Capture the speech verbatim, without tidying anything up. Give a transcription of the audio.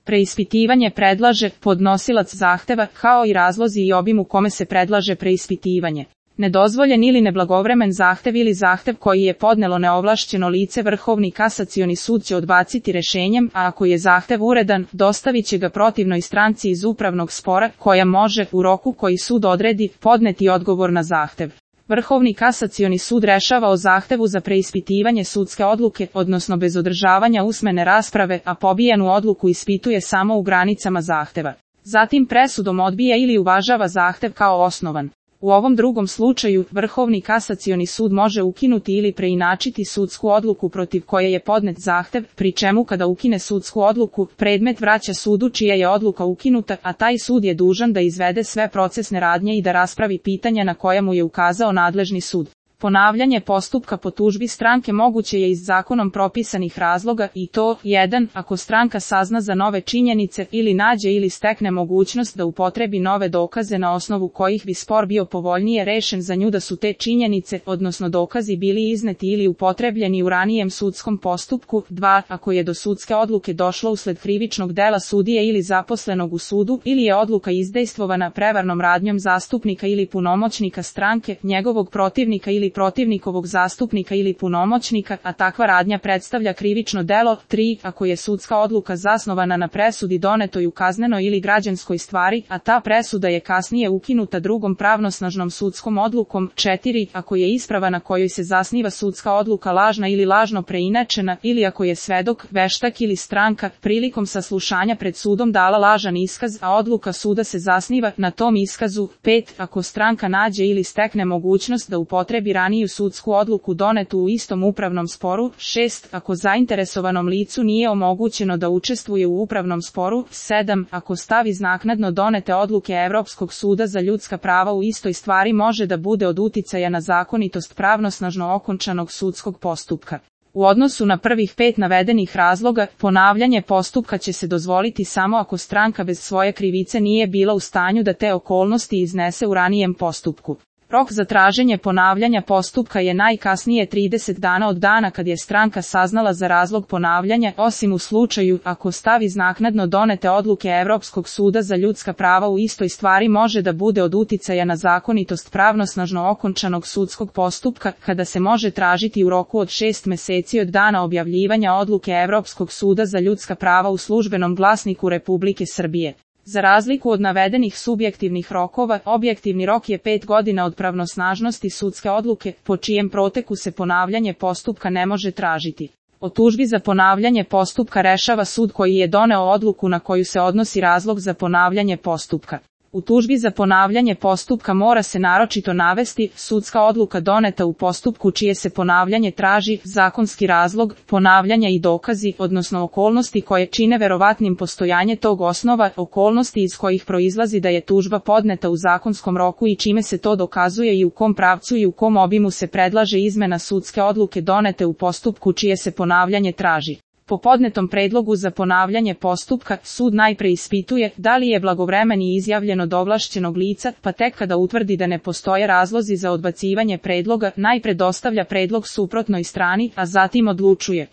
Preispitivanje predlaže podnosilac zahteva, kao i razlozi i obim u kome se predlaže preispitivanje. Nedozvoljen ili neblagovremen zahtev ili zahtev koji je podnelo neovlašćeno lice Vrhovni kasacioni sud će odbaciti rešenjem, a ako je zahtev uredan, dostavit će ga protivnoj stranci iz upravnog spora, koja može, u roku koji sud odredi, podneti odgovor na zahtev. Vrhovni kasacioni sud rešava o zahtevu za preispitivanje sudske odluke, odnosno bez održavanja usmene rasprave, a pobijenu odluku ispituje samo u granicama zahteva. Zatim presudom odbija ili uvažava zahtev kao osnovan. U ovom drugom slučaju, Vrhovni kasacioni sud može ukinuti ili preinačiti sudsku odluku protiv koje je podnet zahtev, pri čemu kada ukine sudsku odluku, predmet vraća sudu čija je odluka ukinuta, a taj sud je dužan da izvede sve procesne radnje i da raspravi pitanja na koja mu je ukazao nadležni sud. Ponavljanje postupka po tužbi stranke moguće je iz zakonom propisanih razloga i to, jedan Ako stranka sazna za nove činjenice ili nađe ili stekne mogućnost da upotrebi nove dokaze na osnovu kojih bi spor bio povoljnije rešen za nju da su te činjenice, odnosno dokazi bili izneti ili upotrebljeni u ranijem sudskom postupku. dva Ako je do sudske odluke došlo usled krivičnog dela sudije ili zaposlenog u sudu ili je odluka izdejstvovana prevarnom radnjom zastupnika ili punomoćnika stranke, njegovog protivnika ili protivnikovog zastupnika ili punomoćnika, a takva radnja predstavlja krivično delo. tri Ako je sudska odluka zasnovana na presudi donetoj u kaznenoj ili građanskoj stvari, a ta presuda je kasnije ukinuta drugom pravnosnažnom sudskom odlukom. četiri Ako je isprava na kojoj se zasniva sudska odluka lažna ili lažno preinačena, ili ako je svedok, veštak ili stranka prilikom saslušanja pred sudom dala lažan iskaz, a odluka suda se zasniva na tom iskazu. pet Ako stranka nađe ili stekne mogućnost da upotrebi raniju sudsku odluku donetu u istom upravnom sporu. šest Ako zainteresovanom licu nije omogućeno da učestvuje u upravnom sporu. sedam Ako stav iz naknadno donete odluke Evropskog suda za ljudska prava u istoj stvari može da bude od uticaja na zakonitost pravnosnažno okončanog sudskog postupka. U odnosu na prvih pet navedenih razloga, ponavljanje postupka će se dozvoliti samo ako stranka bez svoje krivice nije bila u stanju da te okolnosti iznese u ranijem postupku. Rok za traženje ponavljanja postupka je najkasnije trideset dana od dana kad je stranka saznala za razlog ponavljanja, osim u slučaju ako stav iz naknadno donete odluke Evropskog suda za ljudska prava u istoj stvari može da bude od uticaja na zakonitost pravnosnažno okončanog sudskog postupka, kada se može tražiti u roku od šest meseci od dana objavljivanja odluke Evropskog suda za ljudska prava u Službenom glasniku Republike Srbije. Za razliku od navedenih subjektivnih rokova, objektivni rok je pet godina od pravnosnažnosti sudske odluke, po čijem proteku se ponavljanje postupka ne može tražiti. O tužbi za ponavljanje postupka rešava sud koji je doneo odluku na koju se odnosi razlog za ponavljanje postupka. U tužbi za ponavljanje postupka mora se naročito navesti sudska odluka doneta u postupku čije se ponavljanje traži, zakonski razlog ponavljanja i dokazi, odnosno okolnosti koje čine verovatnim postojanje tog osnova, okolnosti iz kojih proizlazi da je tužba podneta u zakonskom roku i čime se to dokazuje i u kom pravcu i u kom obimu se predlaže izmena sudske odluke donete u postupku čije se ponavljanje traži. Po podnetom predlogu za ponavljanje postupka, sud najpre ispituje da li je blagovremeni izjavljen od ovlašćenog lica, pa tek kada utvrdi da ne postoje razlozi za odbacivanje predloga, najpre dostavlja predlog suprotnoj strani, a zatim odlučuje.